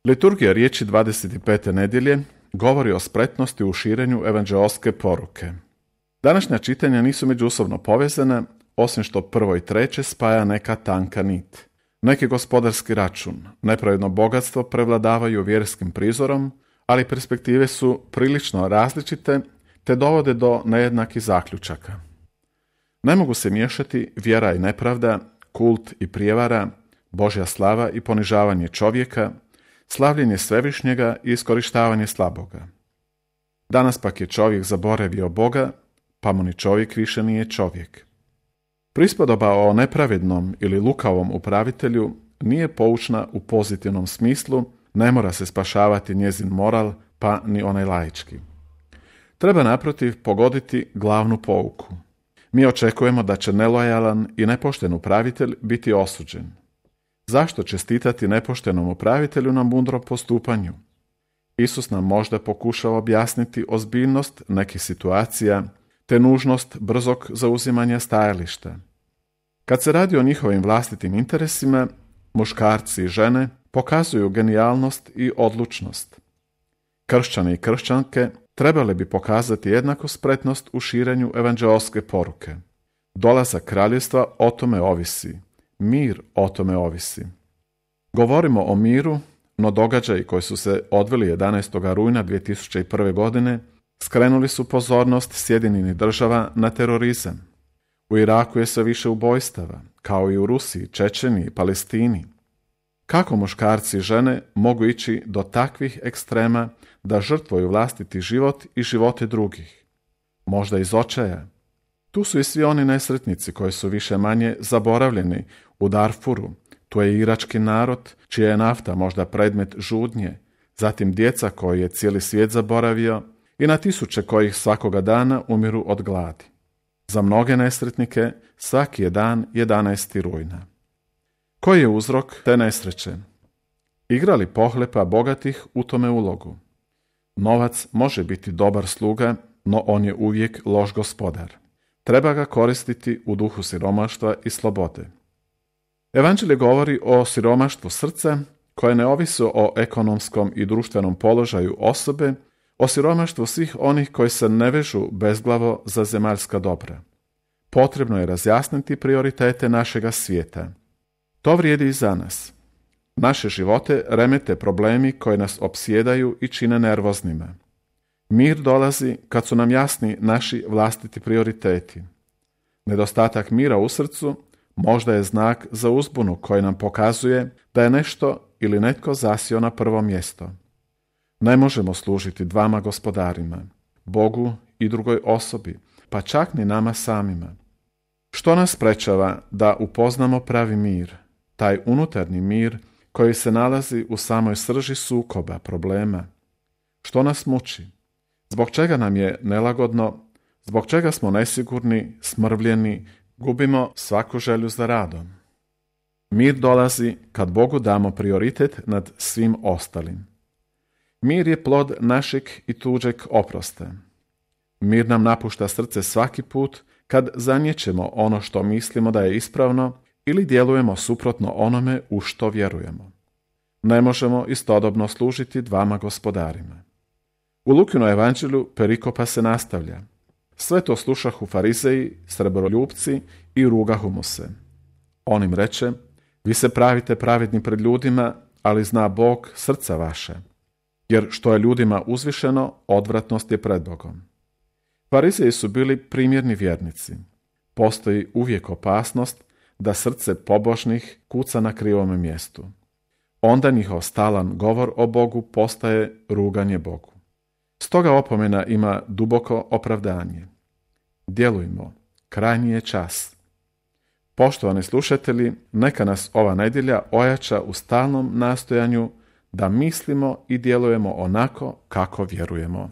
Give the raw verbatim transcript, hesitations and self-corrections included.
Liturgija riječi dvadeset pete nedjelje govori o spretnosti u širenju evanđeoske poruke. Današnja čitanja nisu međusobno povezane, osim što prvo i treće spaja neka tanka nit. Neki gospodarski račun, nepravedno bogatstvo prevladavaju vjerskim prizorom, ali perspektive su prilično različite te dovode do nejednakih zaključaka. Ne mogu se miješati vjera i nepravda, kult i prijevara, Božja slava i ponižavanje čovjeka, slavljenje svevišnjega i iskorištavanje slaboga. Danas pak je čovjek zaboravio Boga, pa mu ni čovjek više nije čovjek. Prispodoba o nepravednom ili lukavom upravitelju nije poučna u pozitivnom smislu, ne mora se spašavati njezin moral, pa ni onaj laički. Treba naprotiv pogoditi glavnu pouku. Mi očekujemo da će nelojalan i nepošten upravitelj biti osuđen. Zašto čestitati nepoštenom upravitelju na mudrom postupanju? Isus nam možda pokušava objasniti ozbiljnost nekih situacija te nužnost brzog zauzimanja stajališta. Kad se radi o njihovim vlastitim interesima, muškarci i žene pokazuju genijalnost i odlučnost. Kršćani i kršćanke trebali bi pokazati jednaku spretnost u širenju evanđeoske poruke. Dolazak kraljevstva o tome ovisi. Mir o tome ovisi. Govorimo o miru, no događaji koji su se odvili jedanaestog rujna dvije tisuće prve. godine skrenuli su pozornost Sjedinjenih Država na terorizam. U Iraku je sve više ubojstava, kao i u Rusiji, Čečeniji i Palestini. Kako muškarci i žene mogu ići do takvih ekstrema da žrtvuju vlastiti život i živote drugih? Možda iz očaja. Tu su i svi oni nesretnici koji su više manje zaboravljeni u Darfuru. Tu je irački narod, čija je nafta možda predmet žudnje, zatim djeca koji je cijeli svijet zaboravio i na tisuće kojih svakoga dana umiru od gladi. Za mnoge nesretnike svaki je dan jedanaestog rujna. Koji je uzrok te nesreće? Igra li pohlepa bogatih u tome ulogu? Novac može biti dobar sluga, no on je uvijek loš gospodar. Treba ga koristiti u duhu siromaštva i slobode. Evanđelje govori o siromaštvu srca koje ne ovisi o ekonomskom i društvenom položaju osobe, o siromaštvu svih onih koji se ne vežu bezglavo za zemaljska dobra. Potrebno je razjasniti prioritete našega svijeta. To vrijedi i za nas. Naše živote remete problemi koji nas opsjedaju i čine nervoznima. Mir dolazi kad su nam jasni naši vlastiti prioriteti. Nedostatak mira u srcu možda je znak za uzbunu koji nam pokazuje da je nešto ili netko zasio na prvo mjesto. Ne možemo služiti dvama gospodarima, Bogu i drugoj osobi, pa čak ni nama samima. Što nas sprečava da upoznamo pravi mir, taj unutarnji mir koji se nalazi u samoj srži sukoba, problema? Što nas muči? Zbog čega nam je nelagodno? Zbog čega smo nesigurni, smrvljeni, gubimo svaku želju za radom? Mir dolazi kad Bogu damo prioritet nad svim ostalim. Mir je plod našeg i tuđeg oprosta. Mir nam napušta srce svaki put kad zaniječemo ono što mislimo da je ispravno ili djelujemo suprotno onome u što vjerujemo. Ne možemo istodobno služiti dvama gospodarima. U Lukinom evanđelju perikopa se nastavlja. Sve to slušahu farizeji, srebroljupci i rugahu mu se. On im reče, vi se pravite pravedni pred ljudima, ali zna Bog srca vaše. Jer što je ljudima uzvišeno, odvratnost je pred Bogom. Farizeji su bili primjerni vjernici. Postoji uvijek opasnost da srce pobožnih kuca na krivome mjestu. Onda njihov stalan govor o Bogu postaje ruganje Bogu. Stoga opomena ima duboko opravdanje. Djelujmo, krajnji je čas. Poštovani slušatelji, neka nas ova nedjelja ojača u stalnom nastojanju da mislimo i djelujemo onako kako vjerujemo.